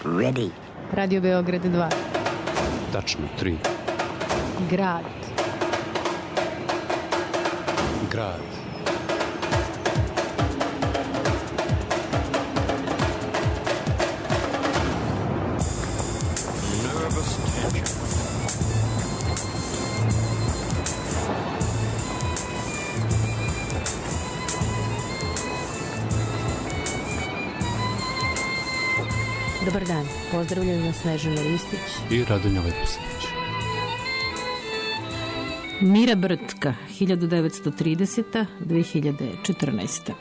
Ready. Radio Beograd 2. Tačno 3. Grad. Grad. Nervous tension. Dobar dan, pozdravljaju nas Snežana Ristić I Radonja Leposinić. Mira Brtka, 1930. 2014.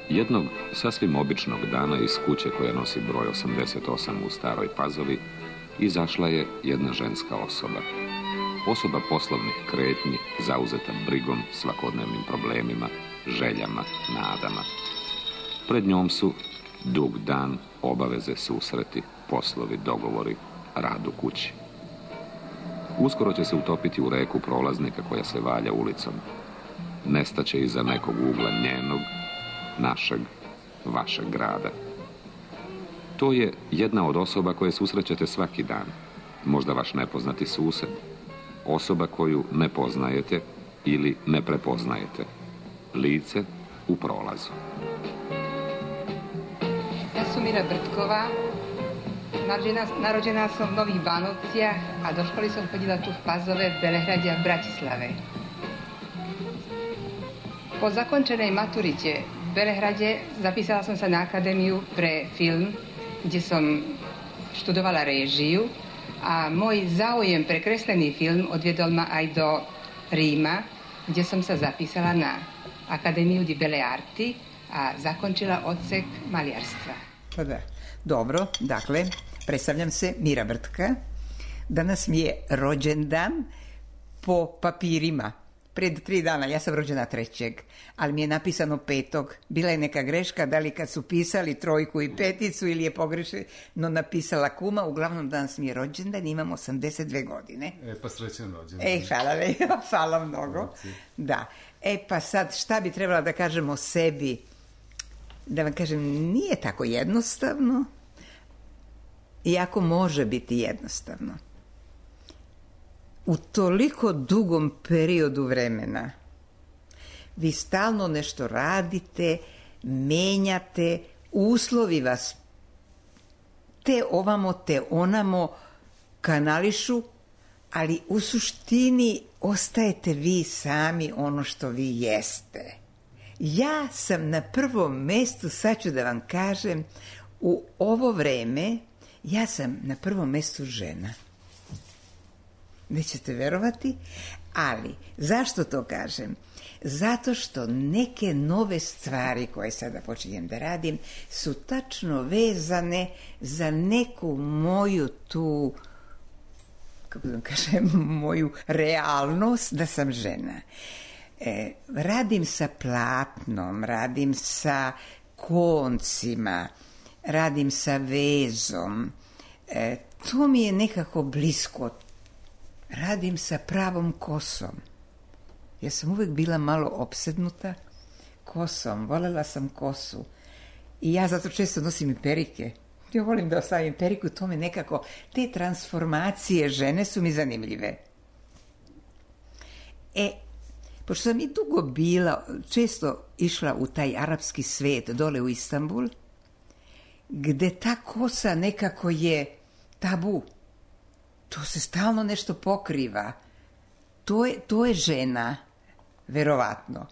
Jednog sasvim običnog dana iz kuće koja nosi broj 88 u Staroj Pazovi izašla je jedna ženska osoba. Osoba poslovnih kretnji, zauzeta brigom, svakodnevnim problemima, željama, nadama. Pred njom su dug dan, obaveze, susreti, poslovi, dogovori, rad u kući. Uskoro će se utopiti u reku prolaznika koja se valja ulicom. Nestaće iza nekog ugla njenog, našeg, vašeg grada. To je jedna od osoba koje susrećete svaki dan. Možda vaš nepoznati sused. Osoba koju ne poznajete ili ne prepoznajete. Lice u prolazu. Ja sam Mira Brtkova, narodžena sam u Novih Banovcijah, a do školy som chodila tu v Pazove, Belehradia, v Bratislave. Po zakončenej maturite v Belehrade zapísala som sa na akadémiu pre film, kde som študovala réžiu a môj záujem pre kreslený film odviedol ma aj do Ríma, kde som sa zapísala na Akadémiu di Belle Arti a zakončila odsek maliarstva. Pa da. Dobro, dakle, predstavljam se Mira Brtka. Danas mi je rođendan po papirima. Pred 3 dana, ja sam rođena 3. ali mi je napisano 5. Bila je neka greška, da li kad su pisali 3 i 5 ili je pogrešno napisala kuma. Uglavnom danas mi je rođendan, imam 82 godine. Pa srećan rođendan. Hvala mnogo. Da. Pa sad, šta bi trebala da kažem o sebi? Da vam kažem, nije tako jednostavno, iako može biti jednostavno. U toliko dugom periodu vremena vi stalno nešto radite, menjate, uslovi vas te ovamo, te onamo kanališu, ali u suštini ostajete vi sami ono što vi jeste. Ja sam na prvom mestu, sad ću da vam kažem, u ovo vreme, ja sam na prvom mestu žena. Nećete verovati, ali zašto to kažem? Zato što neke nove stvari koje sada počinjem da radim su tačno vezane za neku moju tu, kako da kažem, moju realnost da sam žena. Radim sa platnom, radim sa koncima, radim sa vezom. To mi je nekako blisko. Radim sa pravom kosom. Ja sam uvek bila malo opsednuta kosom. Volela sam kosu. I ja zato često nosim i perike. Ja volim da ostavim periku, to me nekako, te transformacije žene su mi zanimljive. Pošto sam i dugo bila, često išla u taj arapski svet, dole u Istanbul, gde ta kosa nekako je tabu. To se stalno nešto pokriva. To je žena, verovatno.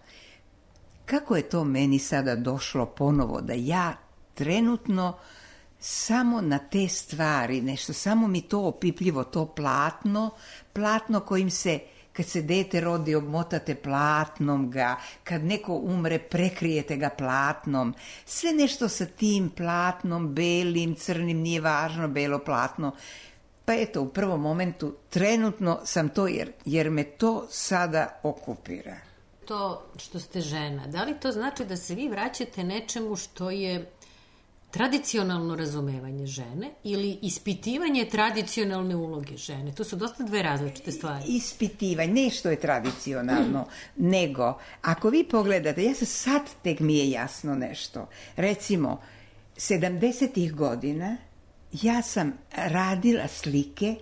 Kako je to meni sada došlo ponovo, da ja trenutno samo na te stvari, nešto, samo mi to opipljivo, to platno kojim se, kad se dete rodi, obmotate platnom ga, kad neko umre, prekrijete ga platnom, sve nešto sa tim platnom, belim, crnim, nije važno, belo platno. Pa eto, u prvom momentu, trenutno sam to, jer me to sada okupira. To što ste žena, da li to znači da se vi vraćate nečemu što je tradicionalno razumevanje žene ili ispitivanje tradicionalne uloge žene? To su dosta dve različite stvari. Ispitivanje, ne što je tradicionalno, nego, ako vi pogledate, sad tek mi je jasno nešto. Recimo, 70. godina ja sam radila slike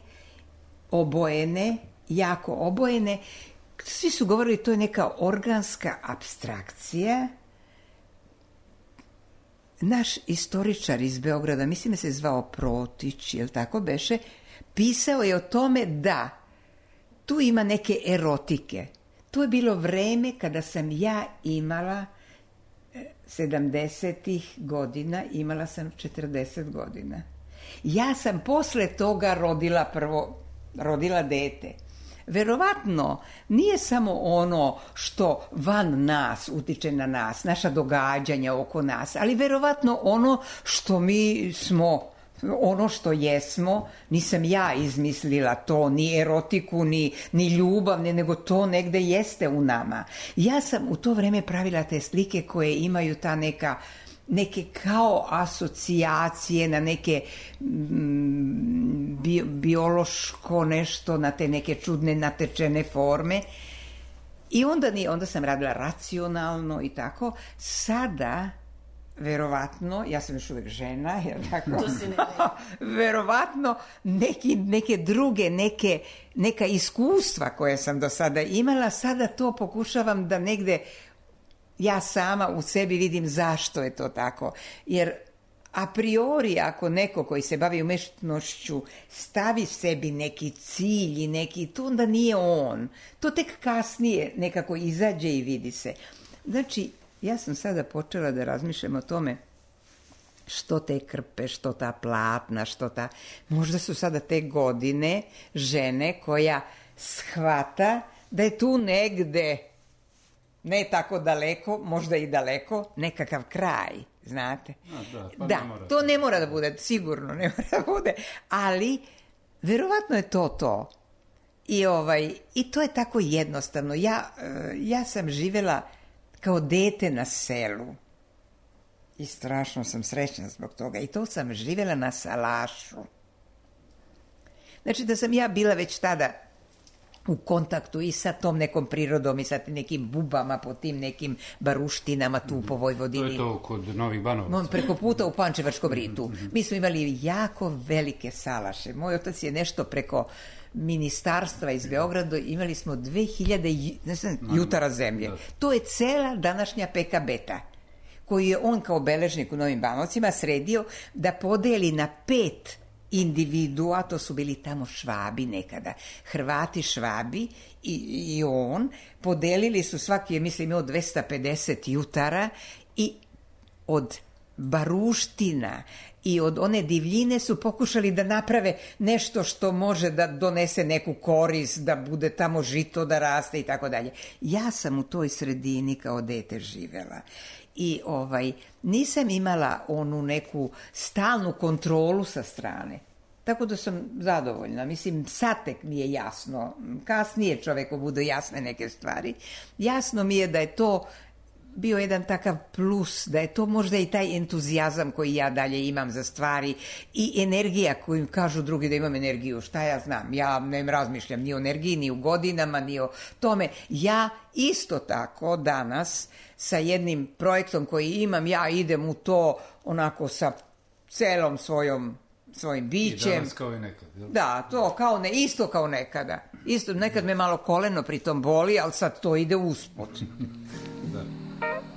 obojene, jako obojene. Svi su govorili to je neka organska apstrakcija. Naš istoričar iz Beograda, mislim da se zvao Protić, jel tako beše, pisao je o tome da tu ima neke erotike. To je bilo vreme kada sam ja imala 70. godina, imala sam 40 godina. Ja sam posle toga rodila dete. Verovatno nije samo ono što van nas utiče na nas, naša događanja oko nas, ali verovatno ono što mi smo, ono što jesmo, nisam ja izmislila to, ni erotiku, ni ljubav, nego to negde jeste u nama. Ja sam u to vreme pravila te slike koje imaju ta neke kao asocijacije na neke biološko nešto, na te neke čudne natečene forme. I onda sam radila racionalno i tako. Sada, verovatno, ja sam još uvek žena, jer tako, verovatno neke druge, neka iskustva koje sam do sada imala, sada to pokušavam da negde ja sama u sebi vidim zašto je to tako. Jer a priori ako neko koji se bavi umetnošću stavi sebi neki cilj i neki, to onda nije on. To tek kasnije nekako izađe i vidi se. Znači, ja sam sada počela da razmišljam o tome što te krpe, što ta platna, možda su sada te godine žene koja shvata da je tu negde, ne tako daleko, možda i daleko, nekakav kraj, znate. Da, to ne mora da bude, sigurno ne mora da bude, ali verovatno je to. I to je tako jednostavno. Ja sam živela kao dete na selu i strašno sam srećna zbog toga. I to sam živela na salašu. Znači da sam ja bila već tada u kontaktu i sa tom nekom prirodom i sa nekim bubama po tim nekim baruštinama tu po Vojvodini. To je to kod Novih Banovaca. Preko puta u Pančevačkom ritu. Mi smo imali jako velike salaše. Moj otac je nešto preko ministarstva iz Beograda, imali smo 2000 jutara zemlje. To je cela današnja PKB-ta, koju je on kao beležnik u Novim Banovcima sredio da podeli na 5 individua, to su bili tamo Švabi nekada, Hrvati Švabi i on, podelili su svaki je, mislim, od 250 jutara i od baruština i od one divljine su pokušali da naprave nešto što može da donese neku korist, da bude tamo žito da raste i tako dalje. Ja sam u toj sredini kao dete živela. I nisam imala onu neku stalnu kontrolu sa strane. Tako da sam zadovoljna. Mislim, sad tek mi je jasno. Kasnije čoveku budu jasne neke stvari. Jasno mi je da je to bio jedan takav plus, da je to možda i taj entuzijazam koji ja dalje imam za stvari i energija koju kažu drugi da imam energiju. Šta ja znam? Ja ne razmišljam ni o energiji, ni o godinama, ni o tome. Ja isto tako danas sa jednim projektom koji imam, ja idem u to onako sa celom svojim bićem. I danas kao i nekad. Jel? Da, to isto kao nekada. Isto, nekad me malo koleno pritom boli, ali sad to ide usput. Da.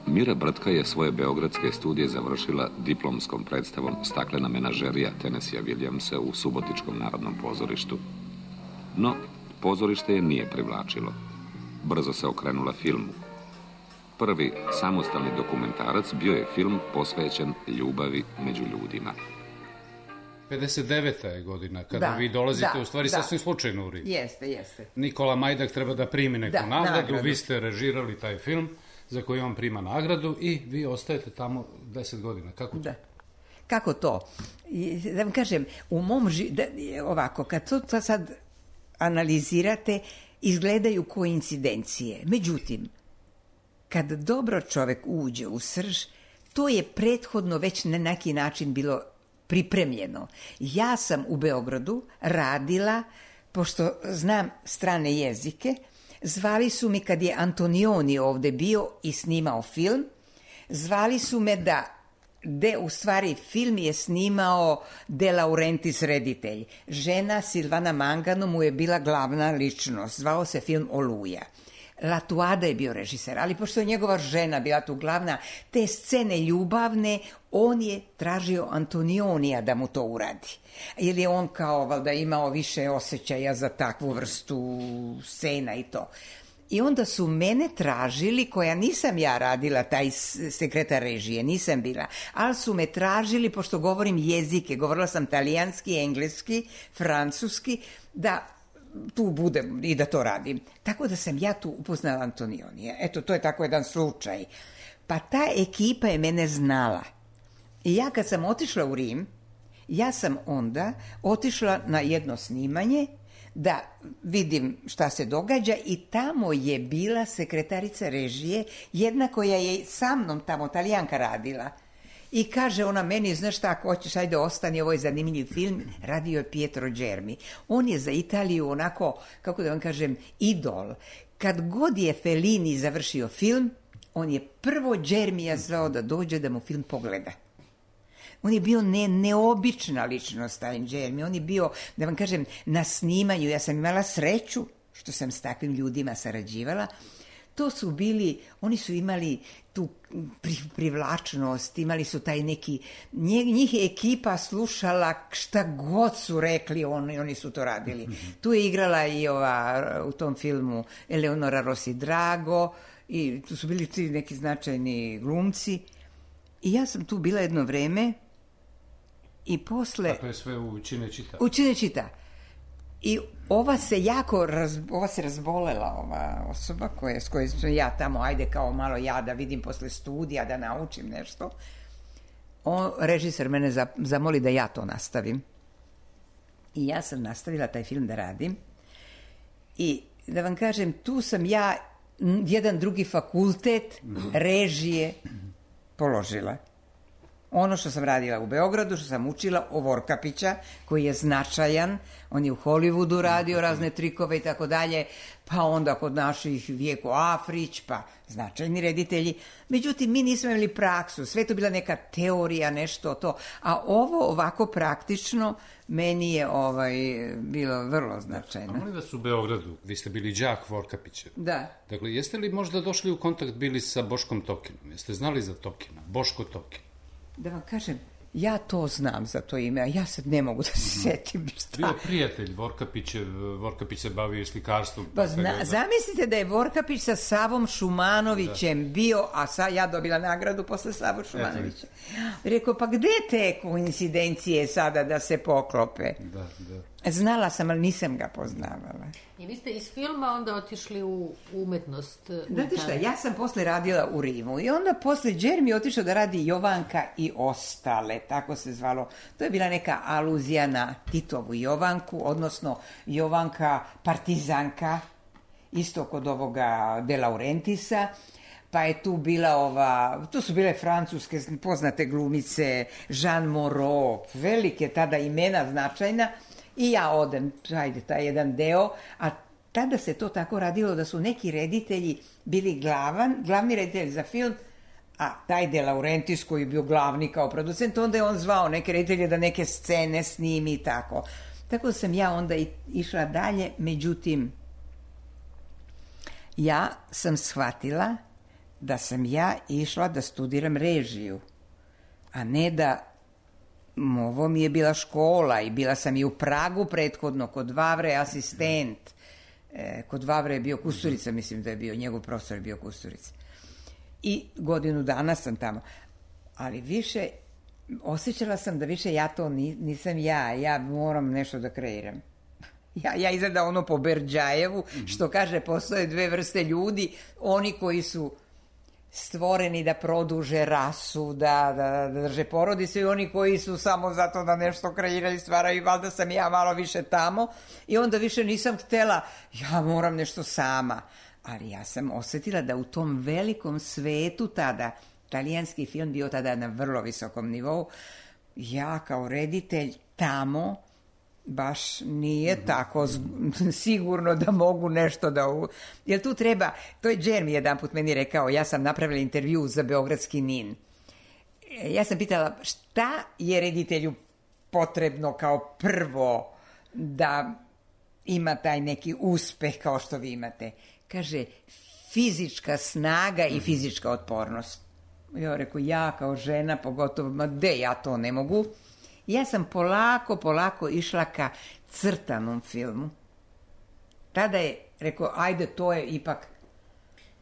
Mira Brtka je svoje beogradske studije završila diplomskom predstavom Staklena menažerija Tennessee Williamsa u Subotičkom narodnom pozorištu. No, pozorište je nije privlačilo. Brzo se okrenula filmu. Prvi samostalni dokumentarac bio je film posvećen ljubavi među ljudima. 59. je godina, kada vi dolazite u stvari sasvim slučajno u Rim. Jeste. Nikola Majdak treba da primi neku nagradu, vi ste režirali taj film za koji on prima nagradu i vi ostajete tamo 10 godina. Kako to? Kako to? Da vam kažem, u mom ovako, kad to sad analizirate, izgledaju koincidencije. Međutim, kad dobro čovek uđe u srž, to je prethodno već na neki način bilo pripremljeno. Ja sam u Beogradu radila, pošto znam strane jezike, zvali su mi kad je Antonioni ovde bio i snimao film, zvali su me da gde u stvari film je snimao De Laurentiis reditelj. Žena Silvana Mangano mu je bila glavna ličnost. Zvao se film Oluja. Latuada je bio režiser, ali pošto je njegova žena bila tu glavna, te scene ljubavne, on je tražio Antonionija da mu to uradi. Jer je on kao valjda imao više osjećaja za takvu vrstu scena i to. I onda su mene tražili, koja nisam ja radila, taj sekretar režije, nisam bila, ali su me tražili, pošto govorim jezike, govorila sam talijanski, engleski, francuski, da tu budem i da to radim. Tako da sam ja tu upoznala Antonionija. Eto, to je tako jedan slučaj. Pa ta ekipa je mene znala. I ja kad sam otišla u Rim, ja sam onda otišla na jedno snimanje da vidim šta se događa i tamo je bila sekretarica režije, jedna koja je sa mnom tamo, Talijanka, radila. I kaže ona meni, znaš šta, ako hoćeš, ajde ostani, ovo je zanimljiv film, radio je Pietro Germi. On je za Italiju onako, kako da vam kažem, idol. Kad god je Fellini završio film, on je prvo Germija zvao da dođe da mu film pogleda. On je bio neobična ličnost, taj Germi. On je bio, da vam kažem, na snimanju. Ja sam imala sreću što sam s takvim ljudima sarađivala. To su bili, oni su imali tu privlačnost, imali su taj neki, njih je ekipa slušala šta god su rekli, oni su to radili. Tu je igrala i u tom filmu Eleonora Rossi Drago i tu su bili ti neki značajni glumci. I ja sam tu bila jedno vreme i posle... Tako je sve u Cinecittà. U Cinecittà. I ova se razbolela, ova osoba s kojom sam ja tamo, ajde kao malo ja da vidim posle studija, da naučim nešto. Režiser mene zamoli da ja to nastavim. I ja sam nastavila taj film da radim. I da vam kažem, tu sam ja jedan drugi fakultet režije položila. Ono što sam radila u Beogradu, što sam učila o Vorkapića, koji je značajan, on je u Hollywoodu radio razne trikove i tako dalje, pa onda kod naših Vjeko Afrić, pa značajni reditelji. Međutim, mi nismo imali praksu, sve to bila neka teorija, nešto to. A ovo ovako praktično meni je bilo vrlo značajno. A molim vas, u Beogradu, vi ste bili đak Vorkapića. Da. Dakle, jeste li možda došli u kontakt bili sa Boškom Tokinom? Jeste znali za Tokina? Boško Tokin. Da vam kažem, ja to znam za to ime, a ja sad ne mogu da se setim šta. Bio prijatelj Vorkapićev, Vorkapić se bavio slikarstvom. Pa zamislite da je Vorkapić sa Savom Šumanovićem bio, a ja dobila nagradu posle Savu Šumanovića. Rekao, pa gde te koincidencije sada da se poklope? Da. Znala sam, ali nisam ga poznavala. I vi ste iz filma onda otišli u umetnost. Znate šta, ja sam posle radila u Rimu i onda posle Germi otišao da radi Jovanka i ostale, tako se zvalo. To je bila neka aluzija na Titovu Jovanku, odnosno Jovanka partizanka, isto kod ovoga De Laurentisa. Pa je tu bila tu su bile francuske poznate glumice, Jean Moreau, velike tada imena značajna. I ja odem, taj jedan deo, a tada se to tako radilo da su neki reditelji bili glavni reditelj za film, a taj De Laurentiis koji je bio glavni kao producent, onda je on zvao neke reditelje da neke scene snimi i tako. Tako da sam ja onda išla dalje, međutim, ja sam shvatila da sam ja išla da studiram režiju, a ne da ovo mi je bila škola i bila sam i u Pragu prethodno, kod Vavre asistent. Kod Vavre je bio Kusturica, mislim da je bio, njegov profesor je bio Kusturica. I godinu dana sam tamo. Ali više, osjećala sam da više ja to nisam ja moram nešto da kreiram. Ja izgleda ono po Berdjajevu, što kaže, postoje dve vrste ljudi, oni koji su stvoreni da produže rasu, da drže porodice i oni koji su samo zato da nešto kreiraju, stvaraju, valjda sam ja malo više tamo i onda više nisam htela, ja moram nešto sama. Ali ja sam osjetila da u tom velikom svetu tada, talijanski film bio tada na vrlo visokom nivou, ja kao reditelj tamo baš nije tako sigurno da mogu nešto da... Jer tu treba... To je Germi jedan put meni rekao, ja sam napravila intervju za Beogradski NIN. ja sam pitala šta je reditelju potrebno kao prvo da ima taj neki uspeh kao što vi imate. Kaže, fizička snaga i fizička otpornost. Ja rekao, ja kao žena, pogotovo, ma de, ja to ne mogu. Ja sam polako išla ka crtanom filmu. Tada je rekao, ajde, to je ipak...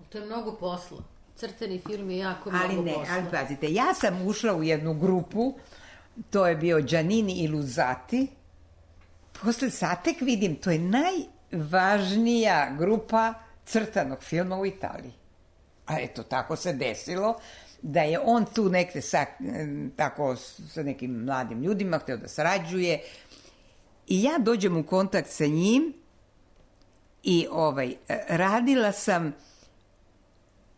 To je mnogo posla. Crtani film je jako mnogo posla. Ali pazite, ja sam ušla u jednu grupu, to je bio Giannini i Luzzati. Posle sad tek vidim, to je najvažnija grupa crtanog filma u Italiji. A eto, tako se desilo da je on tu nekde tako sa nekim mladim ljudima hteo da sarađuje i ja dođem u kontakt sa njim i radila sam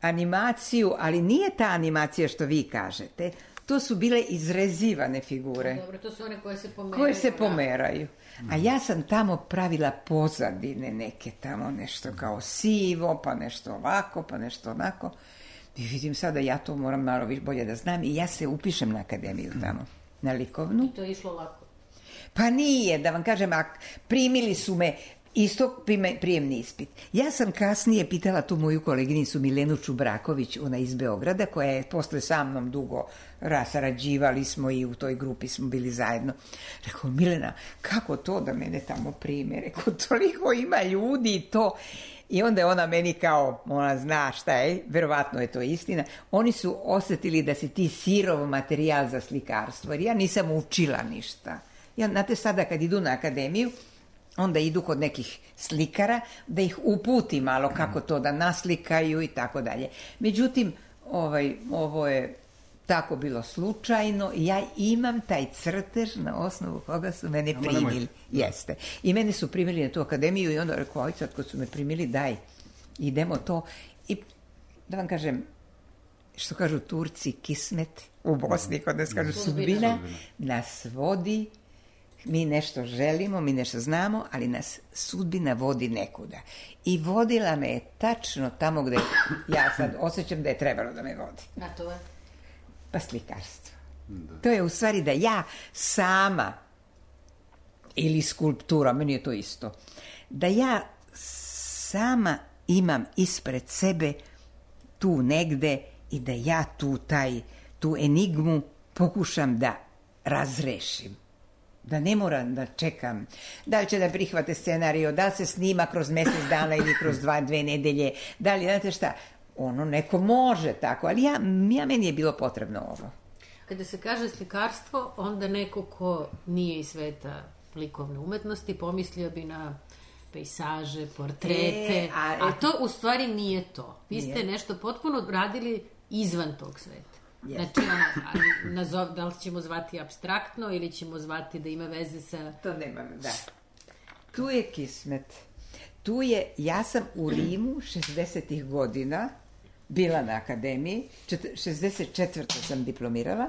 animaciju, ali nije ta animacija što vi kažete, to su bile izrezivane figure. Dobro, to su one koje se pomeraju. Koje se pomeraju. A ja sam tamo pravila pozadine neke tamo, nešto kao sivo, pa nešto ovako, pa nešto onako. I vidim sada, ja to moram malo bolje da znam i ja se upišem na akademiju tamo, na likovnu. I to je išlo lako? Pa nije, da vam kažem, primili su me isto prijemni ispit. Ja sam kasnije pitala tu moju koleginicu Milenu Čubraković, ona iz Beograda, koja je posle sa mnom dugo sarađivali smo i u toj grupi smo bili zajedno. Rekao, Milena, kako to da mene tamo prime? Rekao, toliko ima ljudi i to... I onda je ona meni kao, ona zna šta je, verovatno je to istina, oni su osetili da si ti sirov materijal za slikarstvo, jer ja nisam učila ništa. Ja, znate, sada kad idu na akademiju, onda idu kod nekih slikara da ih uputi malo kako to da naslikaju i tako dalje. Međutim, ovo je tako bilo slučajno i ja imam taj crtež na osnovu koga su mene primili. Jeste. I mene su primili na tu akademiju i onda rekao, aj sad kad su me primili, daj, idemo to. I da vam kažem, što kažu Turci, kismet, u Bosni kod nas kažu sudbina, nas vodi, mi nešto želimo, mi nešto znamo, ali nas sudbina vodi nekuda. I vodila me je tačno tamo gde ja sad osjećam da je trebalo da me vodi. A to je? Pa slikarstvo. To je u stvari da ja sama, ili skulptura, meni je to isto, da ja sama imam ispred sebe tu negde i da ja tu enigmu pokušam da razrešim. Da ne moram da čekam da li će da prihvate scenario, da li se snima kroz mesec dana ili kroz 2 nedelje, da li, znate šta, ono neko može tako, ali meni je bilo potrebno ovo. Kada se kaže slikarstvo, onda neko ko nije iz sveta likovne umetnosti pomislio bi na pejsaže, portrete, a to u stvari nije to. Vi ste nešto potpuno radili izvan tog sveta. Znači, da li ćemo zvati apstraktno ili ćemo zvati da ima veze sa... To nema, da. Tu je kismet. Tu je, ja sam u Rimu 60-ih godina bila na akademiji, 64. sam diplomirala.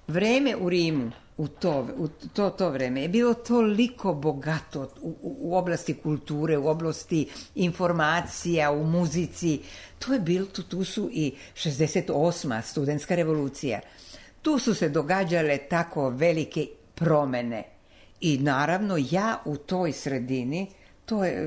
Vreme u Rimu, u to vreme, je bilo toliko bogato u oblasti kulture, u oblasti informacija, u muzici. To je bilo, tu su i 68. studentska revolucija. Tu su se događale tako velike promene. I naravno, ja u toj sredini, to je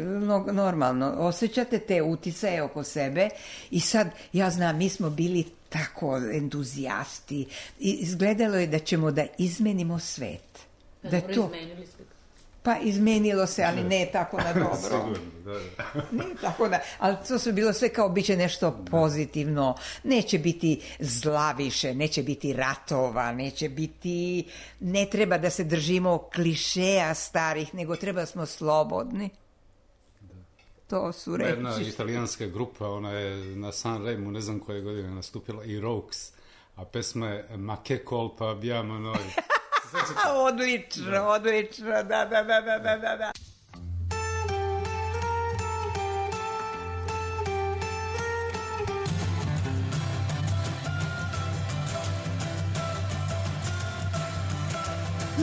normalno, osjećate te uticaje oko sebe i sad, ja znam, mi smo bili tako entuzijasti i izgledalo je da ćemo da izmenimo svet. Dobro, izmenili ste. Pa izmenilo se, ali ne tako na dobro. Sigurno, da. Ne tako na... Ali to su bilo sve kao biće nešto pozitivno. Neće biti zla više, neće biti ratova, neće biti... Ne treba da se držimo klišeja starih, nego treba da smo slobodni. To su reči. Jedna italijanska grupa, ona je na Sanremu, ne znam koje godine nastupila, i Rokes, a pesma je Ma che colpa abbiamo noi. Odlično, da.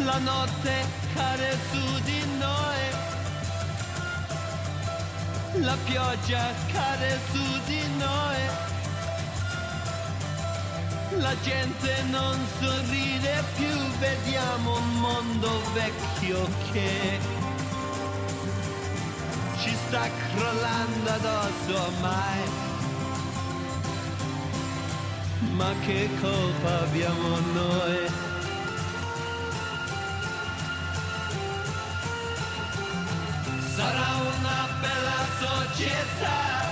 La notte cade su di noi, la pioggia cade su di noi, La gente non sorride più, vediamo un mondo vecchio che ci sta crollando addosso ormai. Ma che colpa abbiamo noi? Sarà una bella società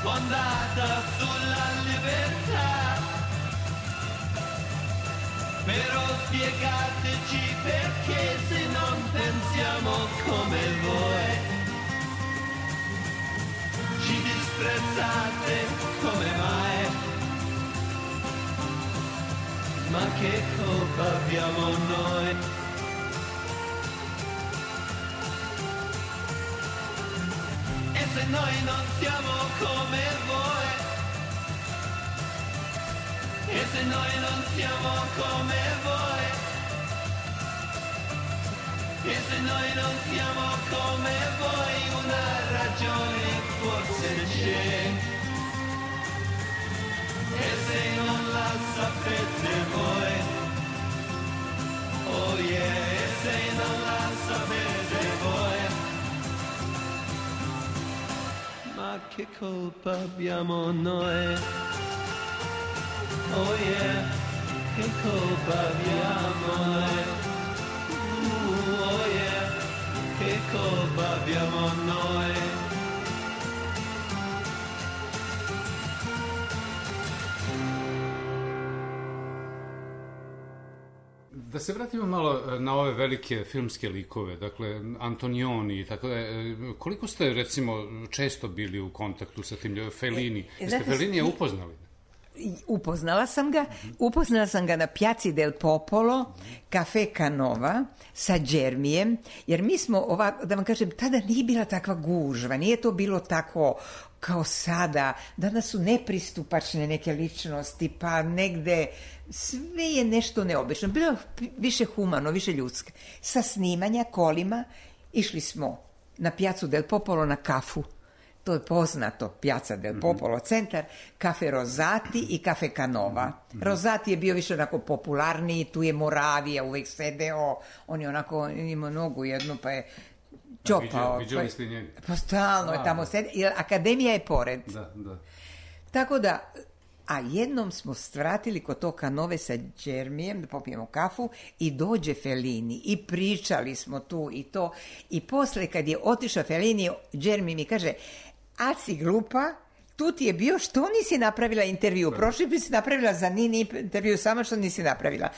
fondata sulla libertà, però spiegateci perché se non pensiamo come voi ci disprezzate, come mai? Ma che colpa abbiamo noi? E se noi non siamo come voi? E se noi non siamo come voi? E se noi non siamo come voi? Una ragione forse c'è. E se non la sapete voi? Oh yeah, e se non la sapete voi? Ma che colpa abbiamo noi? Oh yeah, che colpa abbiamo noi? Oh yeah, che colpa abbiamo noi? Da se vratimo malo na ove velike filmske likove, dakle Antonioni i tako da, koliko ste recimo često bili u kontaktu sa tim ljudima, Fellini? Jeste Fellinija upoznali? Upoznala sam ga na Piazzi del Popolo, Cafe Canova, sa Džermijem, jer mi smo, da vam kažem, tada nije bila takva gužva, nije to bilo tako kao sada, danas su nepristupačne neke ličnosti, pa negde sve je nešto neobično, bilo više humano, više ljudske. Sa snimanja kolima išli smo na Piazzu del Popolo na kafu. To je poznato, Piazza del Popolo, centar, Cafe Rosati i Cafe Canova. Rosati je bio više onako popularniji, tu je Moravija uvek sedeo, on je onako imao nogu jednu, pa je čopao. Viđali ste njega? Pa stalno je tamo sedeo, jer akademija je pored. Da. Tako da, a jednom smo svratili kod to Canove sa Džermijem, da popijemo kafu, i dođe Fellini, i pričali smo tu i to, i posle kad je otišao Fellini, Džermi mi kaže, a si glupa, tu ti je bio, što nisi napravila intervju? Prošli bi si napravila za Nini intervju, samo što nisi napravila.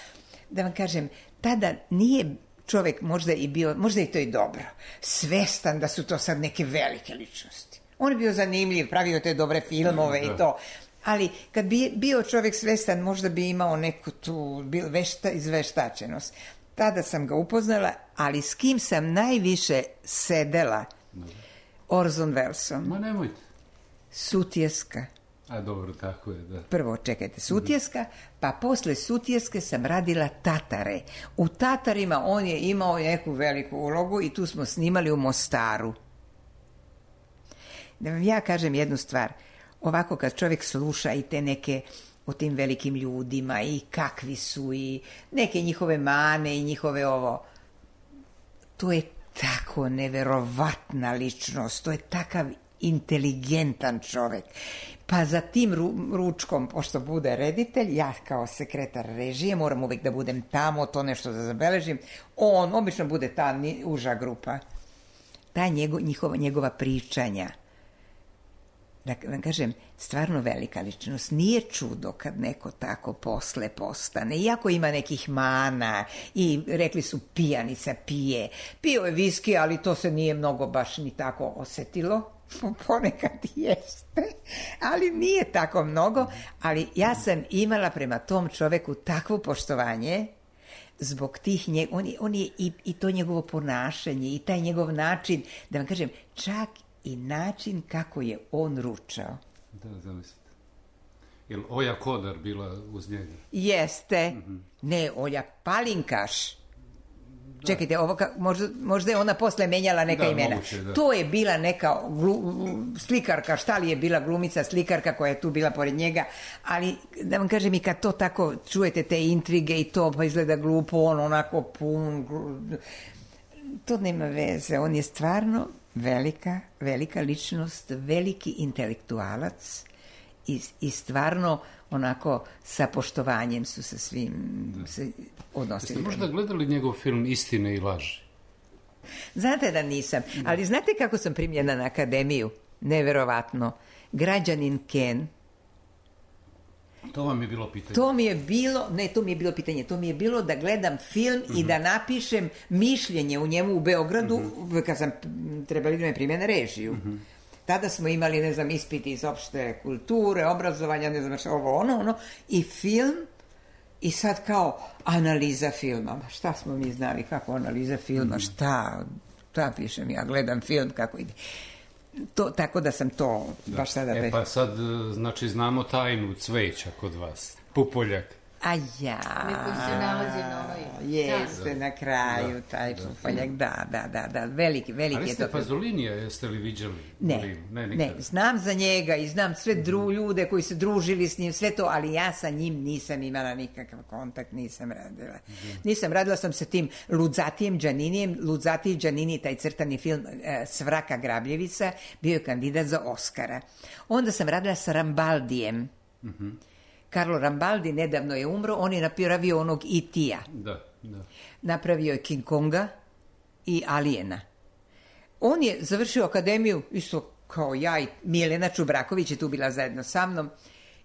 Da vam kažem, tada nije čovek možda i bio, možda i to i dobro, svestan da su to sad neke velike ličnosti. On je bio zanimljiv, pravio te dobre filmove i to. Ali kad bi bio čovjek svestan, možda bi imao neku tu izveštačenost. Tada sam ga upoznala, ali s kim sam najviše sedela? Orson Wellesom. Ma nemojte. Sutjeska. A dobro, tako je, da. Prvo, čekajte, Sutjeska, pa posle Sutjeske sam radila Tatare. U Tatarima on je imao neku veliku ulogu i tu smo snimali u Mostaru. Da vam ja kažem jednu stvar. Ovako kad čovjek sluša i te neke o tim velikim ljudima i kakvi su i neke njihove mane i njihove ovo, to je tako neverovatna ličnost, to je takav inteligentan čovjek. Pa za tim ručkom, pošto bude reditelj, ja kao sekretar režije moram uvijek da budem tamo, to nešto da zabeležim, on obično bude ta uža grupa. Ta njegova pričanja, da vam kažem, stvarno velika ličnost. Nije čudo kad neko tako posle postane. Iako ima nekih mana i rekli su pijanica pije. Pio je viski, ali to se nije mnogo baš ni tako osetilo. Ponekad jeste, ali nije tako mnogo. Ali ja sam imala prema tom čoveku takvo poštovanje zbog tih, on je i to njegovo ponašanje i taj njegov način, da vam kažem, čak i način kako je on ručao. Da, zamislite. Je li Oja Kodar bila uz njega? Jeste. Ne, Olja Palinkaš. Čekajte, možda je ona posle menjala neka imena. Moguće, da. To je bila neka slikarka, šta li je bila glumica, slikarka koja je tu bila pored njega, ali da vam kažem, i kad to tako čujete te intrige i to pa izgleda glupo, on onako pun, to nema veze, on je stvarno velika ličnost, veliki intelektualac i stvarno onako sa poštovanjem su sa svim se odnosili. Jeste možda gledali njegov film Istine i laži? Znate da nisam, ali znate kako sam primljena na akademiju? Neverovatno. Građanin Ken. To vam je bilo pitanje. To mi je bilo da gledam film i da napišem mišljenje u njemu u Beogradu, kad sam trebali da me prime na režiju. Tada smo imali, ne znam, ispiti iz opšte kulture, obrazovanja, ne znam, ono, i film, i sad kao analiza filma. Šta smo mi znali, kako analiza filma, šta pišem, ja gledam film, kako ide. Tako da sam to baš sada... Pa sad, znači, znamo tajnu cveća kod vas. Pupoljak. A ja... Neko se nalazi na onoj... Jeste, na kraju, taj pupoljak, da, veliki je to. Ali ste Pazolinija, jeste li viđali? Ne, znam za njega i znam sve ljude koji su družili s njim, sve to, ali ja sa njim nisam imala nikakav kontakt, nisam radila. Radila sam sa tim Luzzatijem Đaninijem, Luzzati i Đanini, taj crtani film Svraka Grabljevica, bio je kandidat za Oskara. Onda sam radila sa Rambaldijem. Carlo Rambaldi nedavno je umro, on je napravio onog E.T.-a. Da. Napravio je King Konga i Alijena. On je završio akademiju, isto kao ja, i Milena Čubraković je tu bila zajedno sa mnom,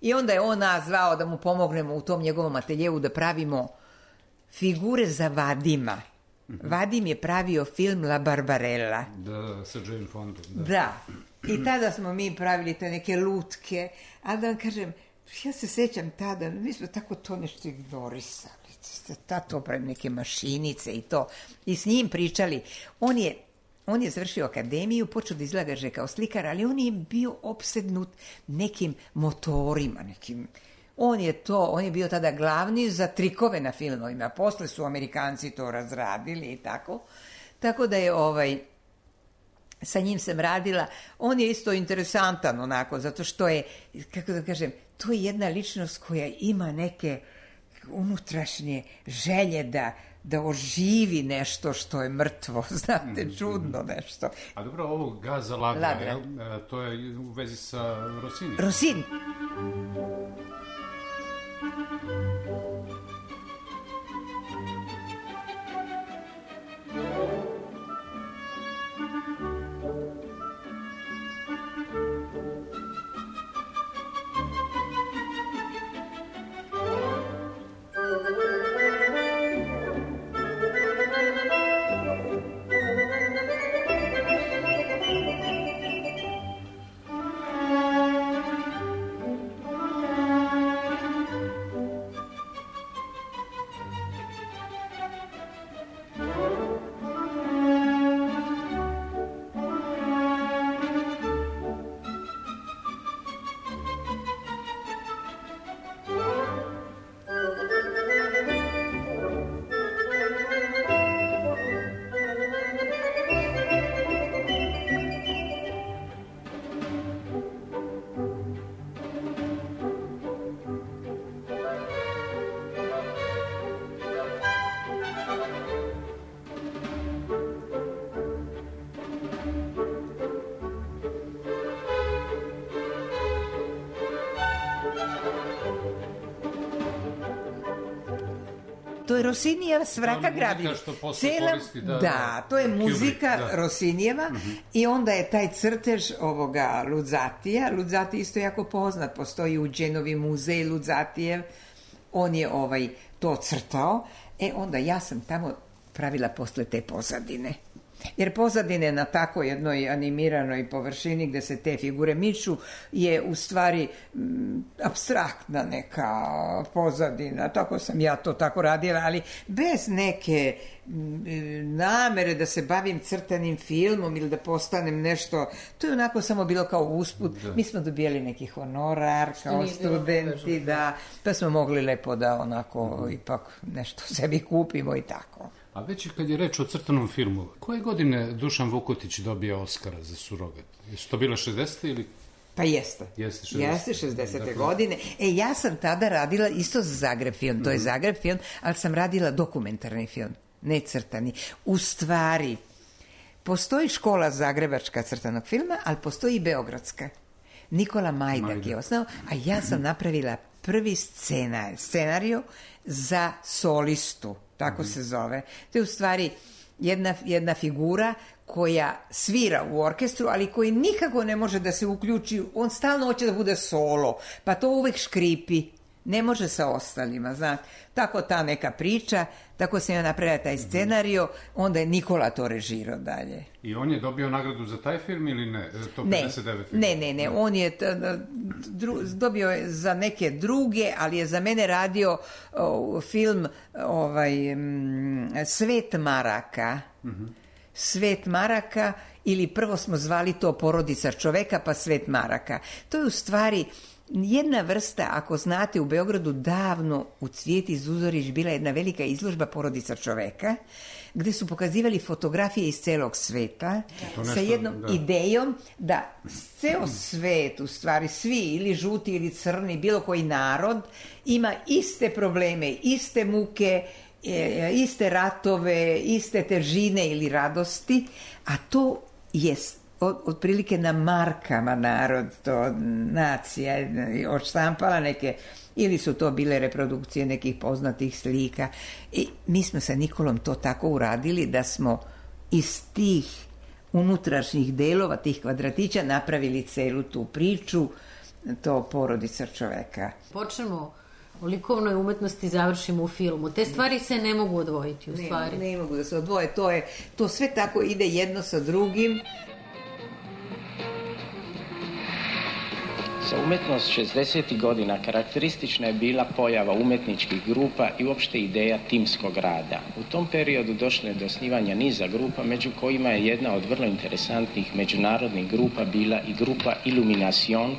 i onda je on nas zvao da mu pomognemo u tom njegovom ateljevu da pravimo figure za Vadima. Vadim je pravio film La Barbarella. Da, sa Jane Fondom. Da. I tada smo mi pravili te neke lutke, ali da vam kažem, ja se sećam tada, mi smo tako to nešto ignorisali, to pravi neke mašinice i to, i s njim pričali. On je završio akademiju, počeo da izlagaže kao slikar, ali on je bio opsednut nekim motorima, on je bio tada glavni za trikove na filmovima, posle su Amerikanci to razradili i tako da je sa njim sam radila. On je isto interesantan onako, zato što je, kako da kažem, to je jedna ličnost koja ima neke unutrašnje želje da oživi nešto što je mrtvo, znate, čudno nešto. A dobro, ovo Gaza Ladra, to je u vezi sa Rossini. Rossini. To je Rossinijeva Svraka Grabljevica. To je muzika Rossinijeva i onda je taj crtež ovoga Luzzatija. Luzzati isto jako poznat, postoji u Genovi muzej Luzzatijev. On je to crtao. Onda ja sam tamo pravila posle te pozadine. Jer pozadine na tako jednoj animiranoj površini gde se te figure miču je u stvari apstraktna neka pozadina. Tako sam ja to tako radila, ali bez neke namere da se bavim crtanim filmom ili da postanem nešto. To je onako samo bilo kao usput. Mi smo dobijali neki honorar kao studenti, pa smo mogli lepo da onako ipak nešto sebi kupimo i tako. A već kad je reč o crtanom filmu, koje godine Dušan Vukotić dobije Oskara za Surogat? Jesu to bile 60. ili... Pa jeste. Jeste 60. godine. Ja sam tada radila isto za Zagreb film. To je Zagreb film, ali sam radila dokumentarni film, ne crtani. U stvari, postoji škola zagrebačka crtanog filma, ali postoji i beogradska. Nikola Majdak je osnovao, a ja sam napravila prvi scenariju za solistu, tako se zove. To je u stvari jedna figura koja svira u orkestru, ali koji nikako ne može da se uključi, on stalno hoće da bude solo, pa to uvek škripi, ne može sa ostalima, znate. Tako ta neka priča, tako sam ja napravila taj scenarijo, onda je Nikola to režirao dalje. I on je dobio nagradu za taj film ili ne? To 59. Ne, on je dobio je za neke druge, ali je za mene radio film Svet maraka. Svet maraka, ili prvo smo zvali to Porodica čoveka, pa Svet maraka. To je u stvari jedna vrsta, ako znate, u Beogradu davno u Cvijeti Zuzorić bila jedna velika izložba Porodica čoveka, gde su pokazivali fotografije iz celog sveta sa jednom idejom da ceo svet, u stvari svi, ili žuti ili crni, bilo koji narod, ima iste probleme, iste muke, iste ratove, iste težine ili radosti, a to je otprilike na markama narod, to nacija odštampala neke, ili su to bile reprodukcije nekih poznatih slika. I mi smo sa Nikolom to tako uradili da smo iz tih unutrašnjih delova, tih kvadratića, napravili celu tu priču, to Porodica čoveka. Počnemo o likovnoj umetnosti, završimo u filmu. Te stvari se ne mogu odvojiti, u stvari. Ne mogu da se odvoje, to sve tako ide jedno sa drugim. Za umetnost 60. godina karakteristična je bila pojava umetničkih grupa i uopšte ideja timskog rada. U tom periodu došlo je do osnivanja niza grupa, među kojima je jedna od vrlo interesantnih međunarodnih grupa bila i grupa Illumination,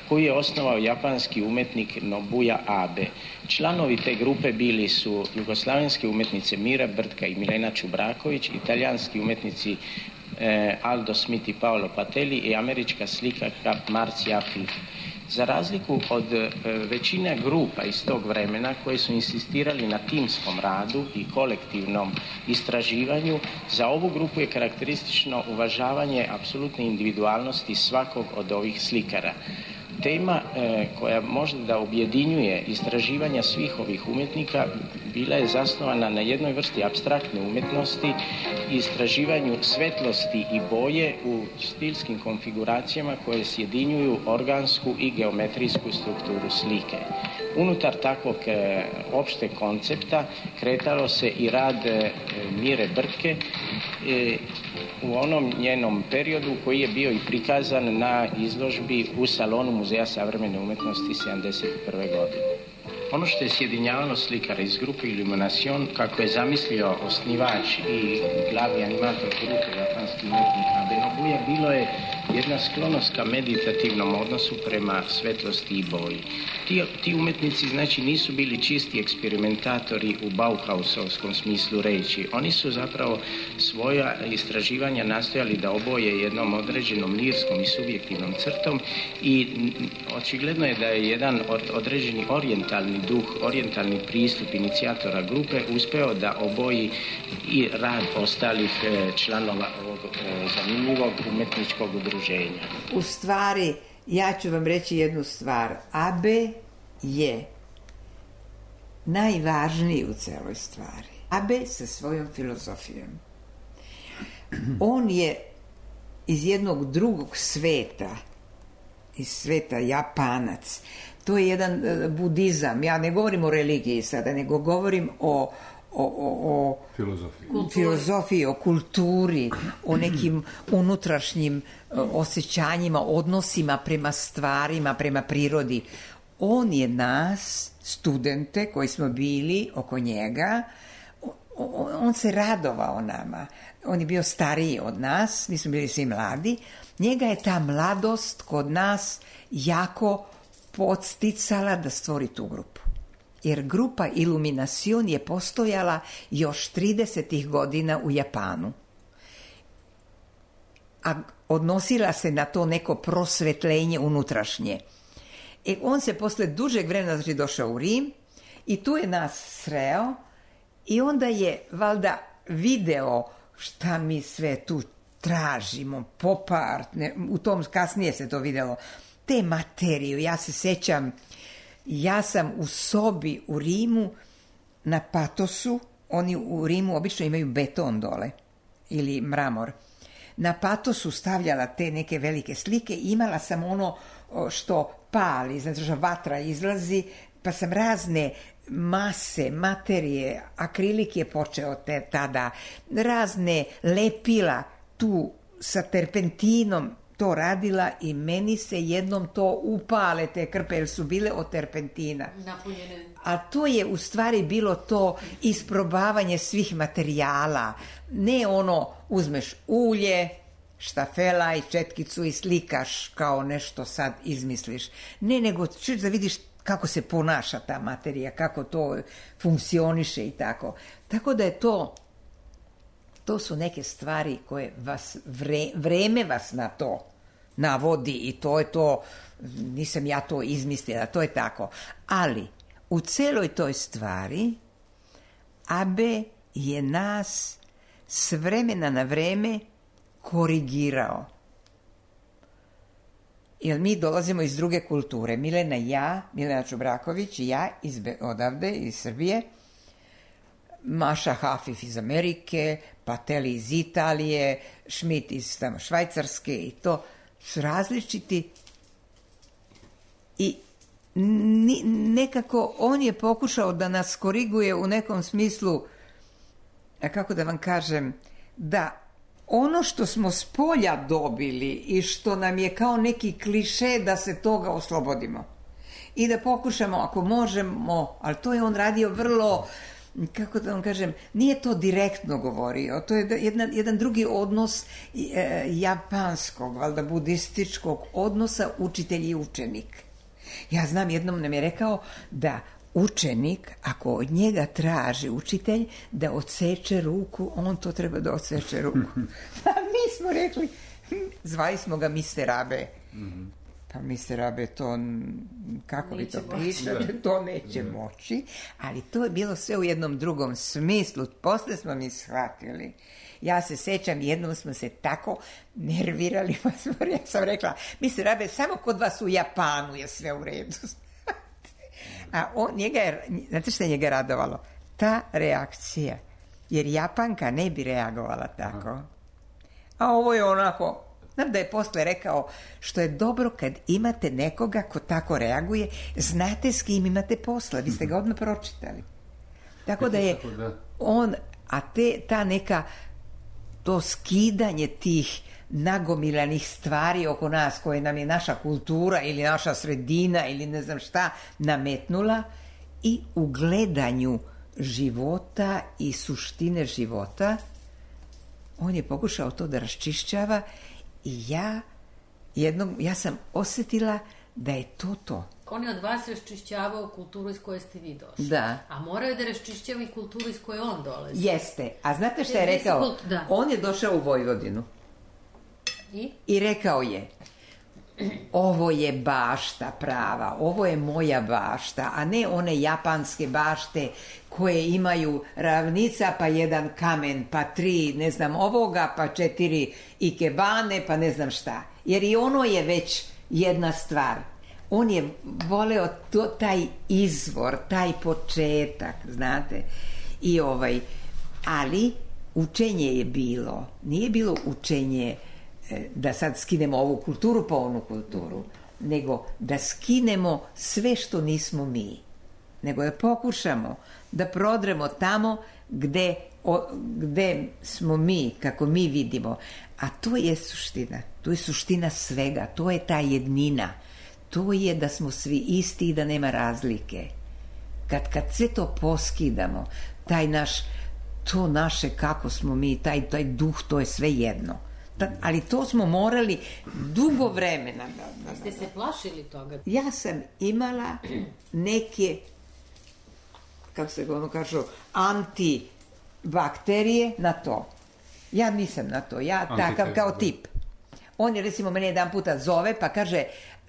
koju je osnovao japanski umetnik Nobuya Abe. Članovi te grupe bili su jugoslavenske umetnice Mira Brtka i Milena Čubraković, italijanski umetnici Aldo Smith i Paolo Patelli i američka slikarka Marcia Afif. Za razliku od većine grupa iz tog vremena koji su insistirali na timskom radu i kolektivnom istraživanju, za ovu grupu je karakteristično uvažavanje apsolutne individualnosti svakog od ovih slikara. Tema koja možda da objedinjuje istraživanja svih ovih umjetnika bila je zasnovana na jednoj vrsti apstraktne umetnosti i istraživanju svetlosti i boje u stilskim konfiguracijama koje sjedinjuju organsku i geometrijsku strukturu slike. Unutar takvog opšte koncepta kretalo se i rad Mire Brtke u onom njenom periodu koji je bio i prikazan na izložbi u salonu Muzeja savremene umetnosti 1971. godine. Ono što je sjedinjavalo slikara iz grupe Illumination, kako je zamislio osnivač i glavni animator grupe japanski umetnik Abe Nobuya, bilo je jedna sklonost ka meditativnom odnosu prema svetlosti i boji. Ti umetnici, znači, nisu bili čisti eksperimentatori u Bauhausovskom smislu reči. Oni su zapravo svoja istraživanja nastojali da oboje jednom određenom lirskom i subjektivnom crtom i očigledno je da je jedan određeni orijentalni duh, orijentalni pristup inicijatora grupe uspeo da oboji i rad ostalih članova ovog zanimljivog umetničkog udruženja. U stvari, ja ću vam reći jednu stvar. Abe je najvažniji u celoj stvari. Abe sa svojom filozofijom. On je iz jednog drugog sveta, iz sveta Japanac. To je jedan budizam. Ja ne govorim o religiji sada, nego govorim o filozofiji, o kulturi, o nekim unutrašnjim osjećanjima, odnosima prema stvarima, prema prirodi. On je nas, studente koji smo bili oko njega, on se radovao nama. On je bio stariji od nas, mi smo bili svi mladi. Njega je ta mladost kod nas jako podsticala da stvori tu grupu. jer grupa Illumination je postojala još 30. godina u Japanu. A odnosila se na to neko prosvetljenje unutrašnje. On se posle dužeg vremena znači, došao u Rim i tu je nas sreo i onda je valjda video šta mi sve tu tražimo, popart, u tom kasnije se to vidjelo, te materiju. Ja se sjećam, ja sam u sobi u Rimu na Patosu, oni u Rimu obično imaju beton dole ili mramor. Na Patosu stavljala te neke velike slike i imala sam ono što pali, znači što vatra izlazi, pa sam razne mase, materije, akrilik je počeo tada, razne lepila tu sa terpentinom to radila i meni se jednom to upale te krpe, jer su bile od terpentina. Napunjene. A to je u stvari bilo to isprobavanje svih materijala. Ne ono, uzmeš ulje, štafela i četkicu i slikaš kao nešto sad izmisliš. Ne, nego ćeš da vidiš kako se ponaša ta materija, kako to funkcioniše i tako. Tako da je to su neke stvari koje vas, vreme vas na to navodi i to je to, nisam ja to izmislila, to je tako. Ali u celoj toj stvari Abe je nas s vremena na vreme korigirao. Jer mi dolazimo iz druge kulture. Milena Čubraković i ja odavde, iz Srbije, Maša Hafif iz Amerike, Pateli iz Italije, Schmidt iz tamo Švajcarske i to su različiti i nekako on je pokušao da nas koriguje u nekom smislu, kako da vam kažem, da ono što smo s polja dobili i što nam je kao neki kliše da se toga oslobodimo i da pokušamo ako možemo, ali to je on radio vrlo, kako da vam kažem, nije to direktno govorio, to je jedan drugi odnos japanskog, valjda budističkog odnosa učitelj i učenik. Ja znam, jednom nam je rekao da učenik, ako od njega traži učitelj da odseče ruku, on to treba da odseče ruku. A mi smo rekli, zvali smo ga Mister Abe. Pa Mister Abe to, kako vi to pričate, to neće moći, ali to je bilo sve u jednom drugom smislu. Posle smo mi shvatili. Ja se sećam, jednom smo se tako nervirali, pa ja sam rekla, Mister Abe, samo kod vas u Japanu je sve u redu. A znate što je njega radovalo? Ta reakcija. Jer Japanka ne bi reagovala tako. A ovo je onako, znam da je posle rekao, što je dobro kad imate nekoga ko tako reaguje, znate s kim imate posla, vi ste ga odmah pročitali. Tako da je on, a ta neka, to skidanje tih nagomilanih stvari oko nas koje nam je naša kultura ili naša sredina ili ne znam šta nametnula i u gledanju života i suštine života on je pokušao to da raščišćava i ja sam osjetila da je to. On je od vas raščišćavao kulturu iz koje ste vi došli. Da. A morao je da raščišćava i kulturu iz koje on dolazi. Jeste. A znate šta je rekao? On je došao u Vojvodinu. I rekao je, ovo je bašta prava, ovo je moja bašta, a ne one japanske bašte koje imaju ravnica, pa jedan kamen, pa 3, ne znam ovoga, pa 4 ikebane, pa ne znam šta. Jer i ono je već jedna stvar. On je voleo taj izvor, taj početak, znate. Ali učenje je bilo, nije bilo učenje da sad skinemo ovu kulturu pa onu kulturu, nego da skinemo sve što nismo mi, nego da pokušamo da prodremo tamo gde smo mi, kako mi vidimo, a to je suština svega, to je ta jednina, to je da smo svi isti i da nema razlike. Kad sve to poskidamo, to naše kako smo mi, taj duh, to je sve jedno. Ali to smo morali dugo vremena. Ste se plašili toga? Ja sam imala neke kako se ono kažu, antibakterije na to. Ja nisam na to, ja takav kao tip. On je, recimo, mene jedan puta zove pa kaže,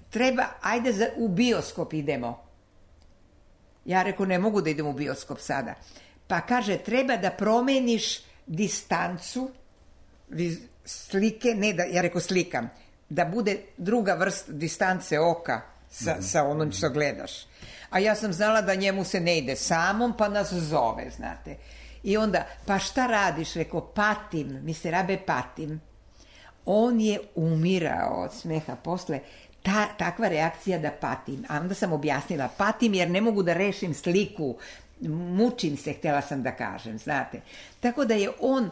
treba, ajde u bioskop idemo. Ja rekao, ne mogu da idem u bioskop sada. Pa kaže, treba da promeniš distancu slike, ne da, ja rekao slikam, da bude druga vrsta distance oka sa onom što gledaš. A ja sam znala da njemu se ne ide samom, pa nas zove, znate. I onda, pa šta radiš? Rekao, patim, Mister Abe, patim. On je umirao od smeha posle. Takva reakcija da patim. A onda sam objasnila, patim jer ne mogu da rešim sliku, mučim se, htjela sam da kažem, znate. Tako da je on,